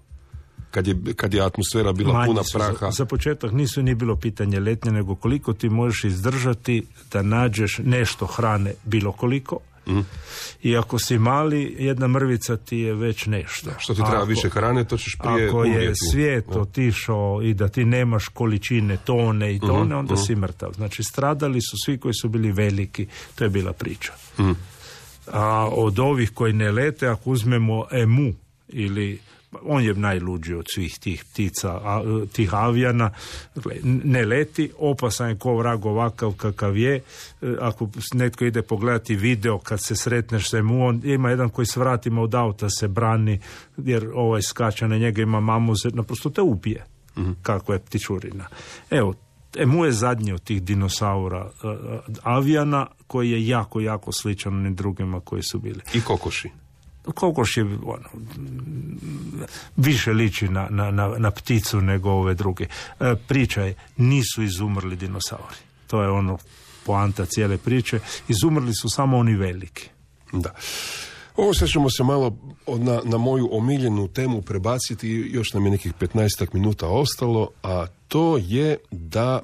Kad je atmosfera bila puna praha. Za početak nisu ni bilo pitanje letnje, nego koliko ti možeš izdržati da nađeš nešto hrane, bilo koliko. I ako si mali, jedna mrvica ti je već nešto. Što ti treba više hrane, to ćeš prije umrijeti. Ako je svijet otišao i da ti nemaš količine tone i tone, onda si mrtav. Znači, stradali su svi koji su bili veliki. To je bila priča. A od ovih koji ne lete, ako uzmemo emu ili... On je najluđi od svih tih ptica, tih avijana. Ne leti, opasan je ko vrag ovakav kakav je. Ako netko ide pogledati video kad se sretneš sa mu, on ima jedan koji s vratima od auta se brani, jer ovaj skače na njega, ima mamuze, naprosto te ubije. Kako je ptičurina. Evo, emu je zadnji od tih dinosaura avijana, koji je jako, jako sličan onim drugima koji su bili. I kokoši. Kokoš je više liči na pticu nego ove druge. Priča je, nisu izumrli dinosauri. To je poanta cijele priče. Izumrli su samo oni veliki. Da. Ovo sad ćemo se malo na moju omiljenu temu prebaciti. Još nam je nekih 15 minuta ostalo, a to je da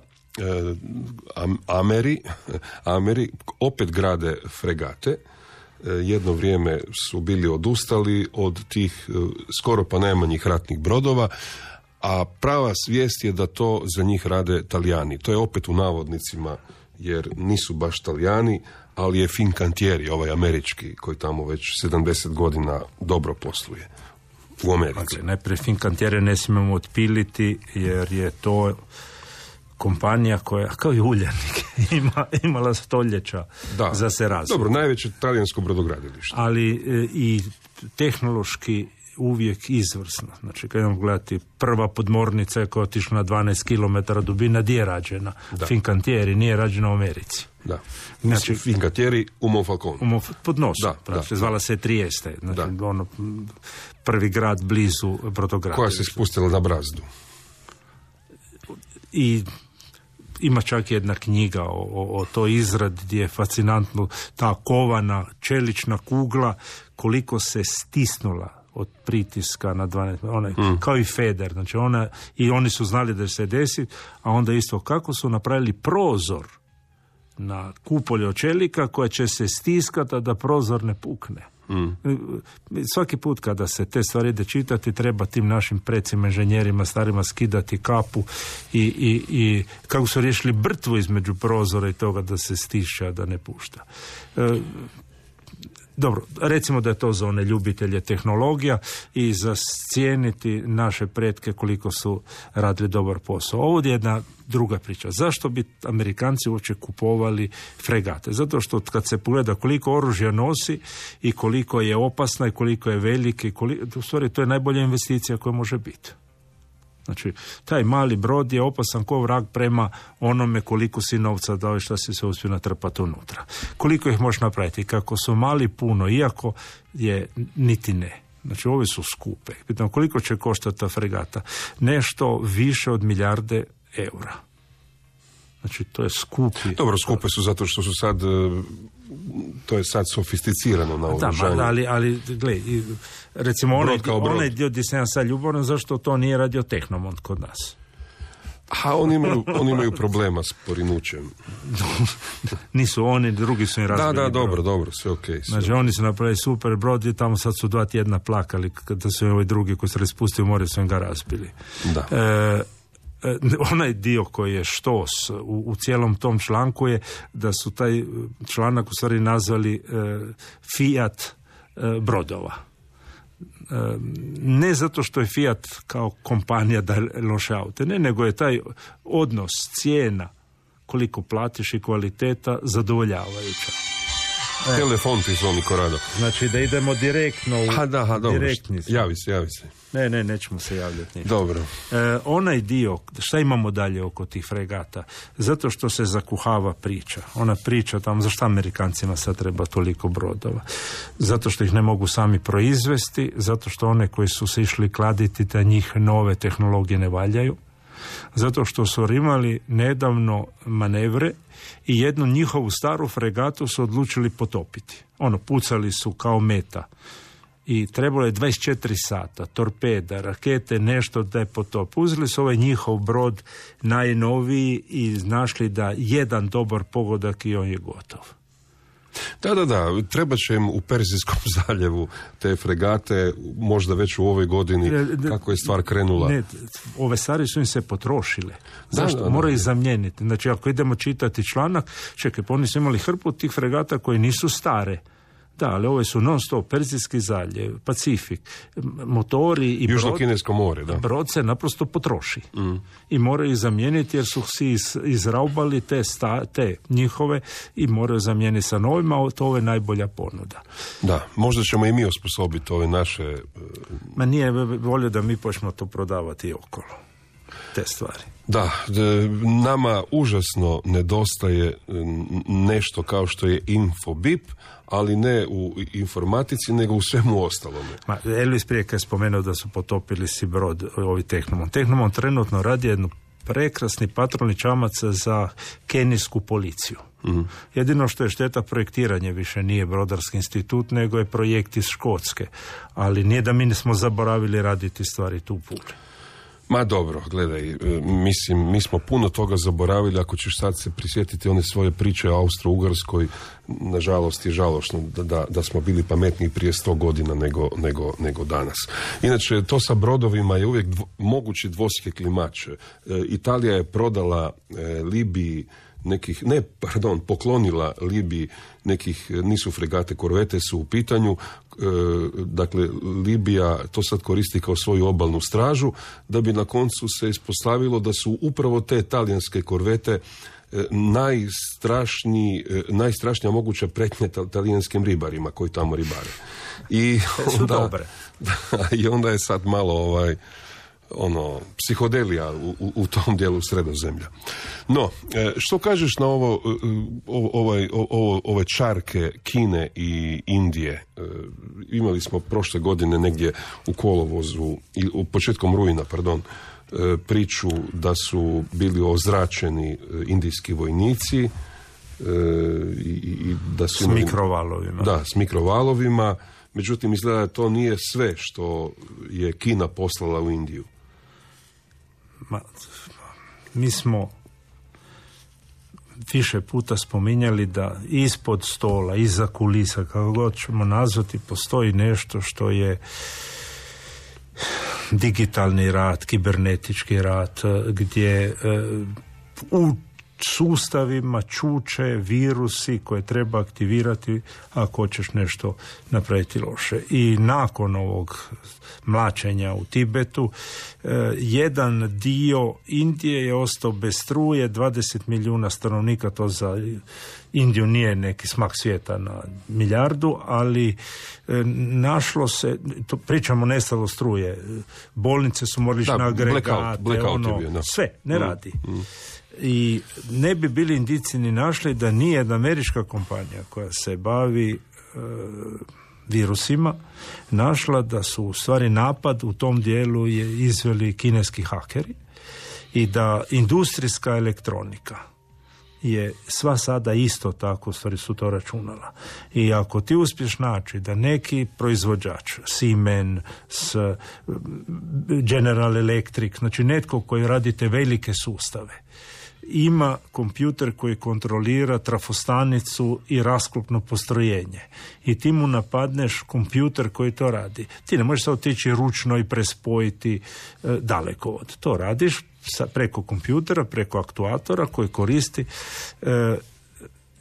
Ameri opet grade fregate. Jedno vrijeme su bili odustali od tih skoro pa najmanjih ratnih brodova, a prava svijest je da to za njih rade Talijani. To je opet u navodnicima, jer nisu baš Talijani, ali je Fincantieri, ovaj američki, koji tamo već 70 godina dobro posluje u Americi. Dakle, najprije Fincantieri ne smijemo otpiliti, jer je to kompanija koja, kao i Uljanik, imala stoljeća za se razvoj. Dobro, najveće talijansko brodogradilište. Ali i tehnološki uvijek izvrsno. Znači, kad idemo gledati, prva podmornica koja je otišla na 12 km dubina, gdje je rađena? Fincantieri, nije rađena u Americi. Da. Znači, Fincantieri u Monfalcone. Pod nosom. Zvala se Trieste. Znači, ono, prvi grad blizu brodogradilišta. Koja se spustila na brazdu. I ima čak jedna knjiga o toj izradi gdje je fascinantno ta kovana čelična kugla koliko se stisnula od pritiska na 12, kao i Feder, znači i oni su znali da će se desiti, a onda isto kako su napravili prozor na kupolje od čelika koja će se stiskati da prozor ne pukne. Svaki put kada se te stvari ide čitati, treba tim našim precima, inženjerima starima skidati kapu i kako su riješili brtvu između prozora i toga da se stišća, da ne pušta. Dobro, recimo da je to za one ljubitelje tehnologija i za cijeniti naše pretke koliko su radili dobar posao. Ovo je jedna druga priča. Zašto bi Amerikanci uopće kupovali fregate? Zato što kad se pogleda koliko oružja nosi i koliko je opasna i koliko je velike, u stvari to je najbolja investicija koja može biti. Znači, taj mali brod je opasan ko vrag prema onome koliko si novca dao i šta si se uspio natrpati unutra. Koliko ih možeš napraviti? Kako su mali puno, iako je niti ne. Znači, ove su skupe. Pitam, koliko će koštati ta fregata? Nešto više od milijarde eura. Znači, to je skupi. Dobro, skupe su zato što su sad, to je sad sofisticirano na oružanju. Ali gledaj, recimo onaj dio gdje sam ja sad ljuboran, zašto to nije radio Tehnomont kod nas? A oni imaju problema s porinućem. Nisu oni, drugi su im razbili. Da, dobro, sve okej. Znači, oni su napravili super brod i tamo sad su 2 tjedna plakali kada su ovi drugi koji su raspustili u more, su im ga razbili. Da. Onaj dio koji je štos u cijelom tom članku je da su taj članak u stvari nazvali Fiat brodova. Ne zato što je Fiat kao kompanija da loše aute, ne, nego je taj odnos cijena koliko platiš i kvaliteta zadovoljavajuća. Telefon ti zvoni Korado. Znači da idemo direktno u direktni. Javi se. Ne, nećemo se javljati. Dobro. Onaj dio, šta imamo dalje oko tih fregata? Zato što se zakuhava priča. Ona priča tamo, zašto Amerikancima sad treba toliko brodova? Zato što ih ne mogu sami proizvesti, zato što one koji su se išli kladiti da njih nove tehnologije ne valjaju, zato što su imali nedavno manevre i jednu njihovu staru fregatu su odlučili potopiti. Pucali su kao meta. I trebalo je 24 sata, torpeda, rakete, nešto da je potop. Uzeli su ovaj njihov brod najnoviji i našli da jedan dobar pogodak i on je gotov. Da, treba će im u Perzijskom zaljevu te fregate, možda već u ovoj godini, kako je stvar krenula. Ne, ove stvari su im se potrošile. Zašto? Moraju ih zamijeniti. Znači, ako idemo čitati članak, čekaj, pa oni su imali hrpu tih fregata koje nisu stare. Da, ali ove su non-stop, Perzijski zaljev, Pacifik, motori i Južno-Kinesko more, da. Brod se naprosto potroši. I moraju ih zamijeniti jer su si izraubali te njihove i moraju zamijeniti sa novima, a to je najbolja ponuda. Da, možda ćemo i mi osposobiti ove naše... Ma nije volio da mi počnemo to prodavati okolo. Te stvari. Da, nama užasno nedostaje nešto kao što je Infobip, ali ne u informatici, nego u svemu ostalome. Elvis prije kad je spomenuo da su potopili si brod, ovi Tehnomont. Tehnomont trenutno radi jednu prekrasni patrolni čamac za kenijsku policiju. Jedino što je šteta, projektiranje više nije Brodarski institut, nego je projekt iz Škotske. Ali nije da mi nismo zaboravili raditi stvari tu u Puli. Ma dobro, gledaj, mislim, mi smo puno toga zaboravili, ako ćeš sad se prisjetiti one svoje priče o Austro-Ugarskoj, nažalost je žalošno da smo bili pametniji prije 100 godina nego danas. Inače, to sa brodovima je uvijek mogući dvosjekli mač. Italija je prodala Libiji poklonila Libiji nekih, nisu fregate, korvete su u pitanju, dakle Libija to sad koristi kao svoju obalnu stražu, da bi na koncu se ispostavilo da su upravo te talijanske korvete najstrašnija moguća pretnja talijanskim ribarima koji tamo ribare. I onda je sad malo psihodelija u tom dijelu Sredozemlja. No, što kažeš na ove čarke Kine i Indije? Imali smo prošle godine negdje u kolovozu, početkom rujna, priču da su bili ozračeni indijski vojnici i da su s mikrovalovima. Da, s mikrovalovima. Međutim, izgleda da to nije sve što je Kina poslala u Indiju. Mi smo više puta spominjali da ispod stola, iza kulisa, kako god ćemo nazvati, postoji nešto što je digitalni rat, kibernetički rat, gdje u sustavima čuče virusi koje treba aktivirati ako hoćeš nešto napraviti loše. I nakon ovog mlačenja u Tibetu, jedan dio Indije je ostao bez struje, 20 milijuna stanovnika, to za Indiju nije neki smak svijeta na milijardu, ali našlo se, to pričamo nestalo struje, bolnice su morali na agregate, sve ne radi. I ne bi bili Indijci ni našli da nije jedna američka kompanija koja se bavi virusima našla da su u stvari napad u tom dijelu je izveli kineski hakeri i da industrijska elektronika je sva sada isto tako, u stvari su to računala. I ako ti uspješ naći da neki proizvođač, Siemens, General Electric, znači netko koji radi te velike sustave, ima kompjuter koji kontrolira trafostanicu i rasklopno postrojenje i ti mu napadneš kompjuter koji to radi. Ti ne možeš sad otići ručno i prespojiti dalekovod. To radiš preko kompjutera, preko aktuatora koji koristi.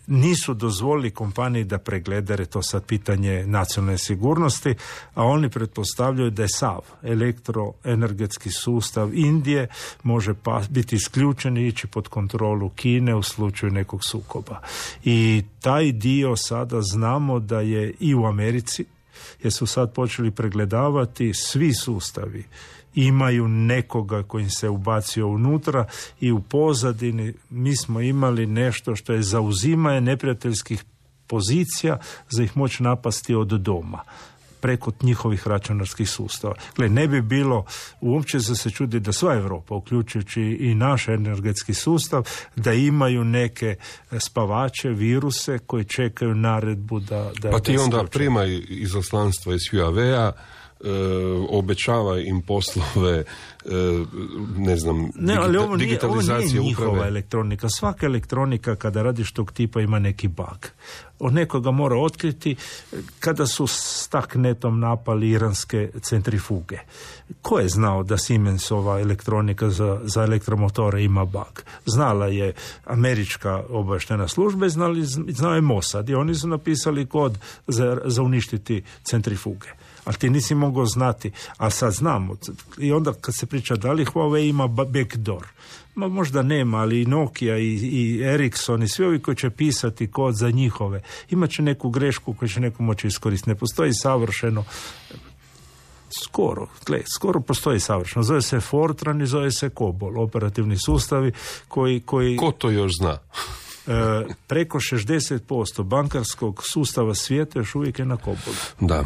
Nisu dozvolili kompaniji da pregleda, jer je to sad pitanje nacionalne sigurnosti, a oni pretpostavljaju da je sav elektroenergetski sustav Indije može biti isključen i ići pod kontrolu Kine u slučaju nekog sukoba. I taj dio sada znamo da je i u Americi, jer su sad počeli pregledavati svi sustavi imaju nekoga koji se ubacio unutra i u pozadini mi smo imali nešto što je zauzimanje neprijateljskih pozicija za ih moći napasti od doma preko njihovih računarskih sustava. Gle, ne bi bilo uopće za se čudi da sva Europa, uključujući i naš energetski sustav, da imaju neke spavače, viruse koji čekaju naredbu da pa ti onda primaj izaslanstva iz Huawei-a, obećava im poslove, ali ovo digitalizacije nije njihova uprave. elektronika. Svaka elektronika kada radiš tog tipa ima neki bug. Od nekoga mora otkriti. Kada su s taknetom napali iranske centrifuge, ko je znao da Siemensova elektronika za elektromotore ima bug? Znala je američka obavještajna služba, znao je Mossad i oni su napisali kod za uništiti centrifuge. Ali ti nisi mogao znati, ali sad znamo. I onda kad se priča da li Huawei ima backdoor, možda nema, ali i Nokia i Ericsson i svi ovi koji će pisati kod za njihove, imat će neku grešku koju će neko moći iskoristiti. Ne postoji savršeno, skoro postoji savršeno. Zove se Fortran i zove se COBOL, operativni sustavi koji... Ko to još zna? Preko 60% bankarskog sustava svijeta još uvijek je na COBOLu. Da.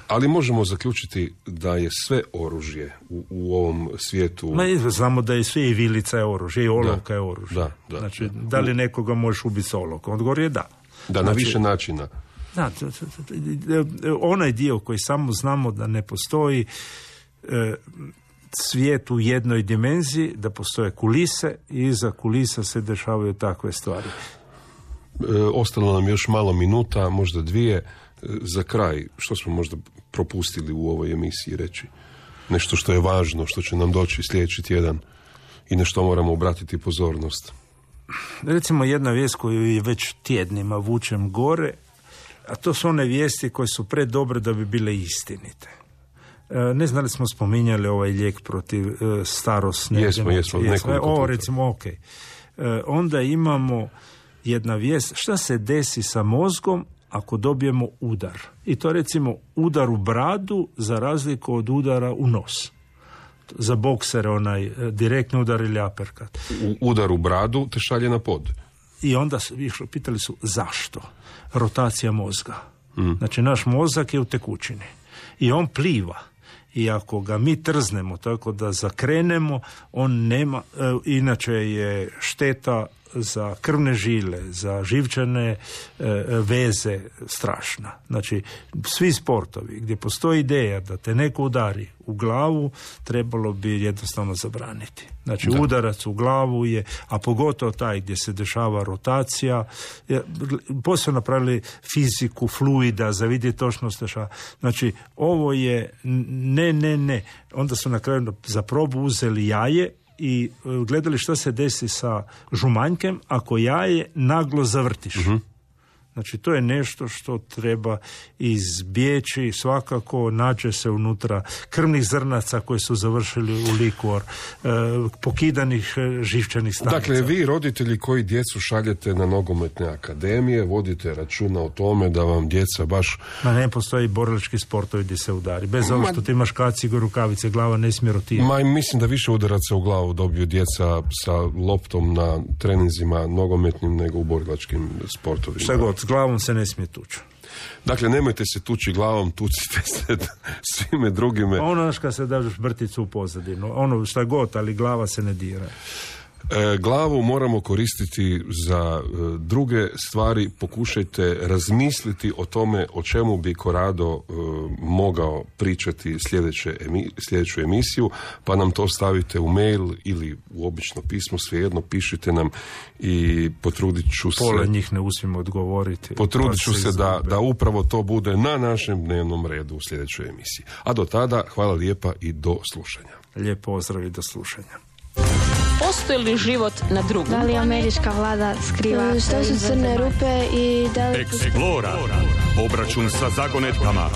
Ali možemo zaključiti da je sve oružje u ovom svijetu... Znamo da je sve i vilica je oružje, i olovka je oružje. Da. Znači, da li nekoga možeš ubiti s olovkom? Odgovor je da. Da, na više načina. Da, onaj dio koji samo znamo da ne postoji, svijet u jednoj dimenziji, da postoje kulise i iza kulisa se dešavaju takve stvari. Ostalo nam još malo minuta, možda 2. Za kraj, što smo možda propustili u ovoj emisiji reći? Nešto što je važno, što će nam doći sljedeći tjedan i na što moramo obratiti pozornost. Recimo jedna vijest koju je već tjednima vučem gore, a to su one vijesti koje su predobre da bi bile istinite. Ne znam li smo spominjali ovaj lijek protiv starosne Jesmo. Ovo recimo, ok. Onda imamo jedna vijest, šta se desi sa mozgom ako dobijemo udar. I to recimo udar u bradu za razliku od udara u nos. Za boksere onaj direktni udar ili aperkat. Udar u bradu te šalje na pod. I onda pitali su zašto? Rotacija mozga. Znači naš mozak je u tekućini i on pliva. I ako ga mi trznemo tako da zakrenemo, on nema, inače je šteta za krvne žile, za živčane veze strašna. Znači, svi sportovi gdje postoji ideja da te neko udari u glavu, trebalo bi jednostavno zabraniti. Znači, udarac u glavu je, a pogotovo taj gdje se dešava rotacija, posebno napravili fiziku fluida za vidjeti točno se dešava. Znači, ovo je ne. Onda su na kraju za probu uzeli jaje i gledali šta se desi sa žumanjkem ako jaje naglo zavrtiš. Znači, to je nešto što treba izbjeći, svakako nađe se unutra krvnih zrnaca koji su završili u likvor, pokidanih živčanih stanica. Dakle, vi roditelji koji djecu šaljete na nogometne akademije, vodite računa o tome da vam djeca baš... Ne postoji borilački sportovi gdje se udari. Bez ovo što ti imaš kacigu, rukavice, glava ne smije rotirati. Mislim da više udaraca u glavu dobiju djeca sa loptom na treninzima nogometnim nego u borilačkim sportovima. Šta god, s glavom se ne smije tući. Dakle, nemojte se tući glavom, tucite se svime drugime. Ono kad se daš brticu u pozadinu, ono šta god, ali glava se ne dira. Glavu moramo koristiti za druge stvari. Pokušajte razmisliti o tome o čemu bi Corrado mogao pričati sljedeću emisiju, pa nam to stavite u mail ili u obično pismo, svejedno pišite nam i potrudit ću se... Pola njih ne uspijem odgovoriti. Potrudit ću se da upravo to bude na našem dnevnom redu u sljedećoj emisiji. A do tada, hvala lijepa i do slušanja. Lijep pozdrav i do slušanja. Postoji li život na drugom? Da li američka vlada skriva? Što su crne rupe i da li... Explora. Obračun sa zagonetkama.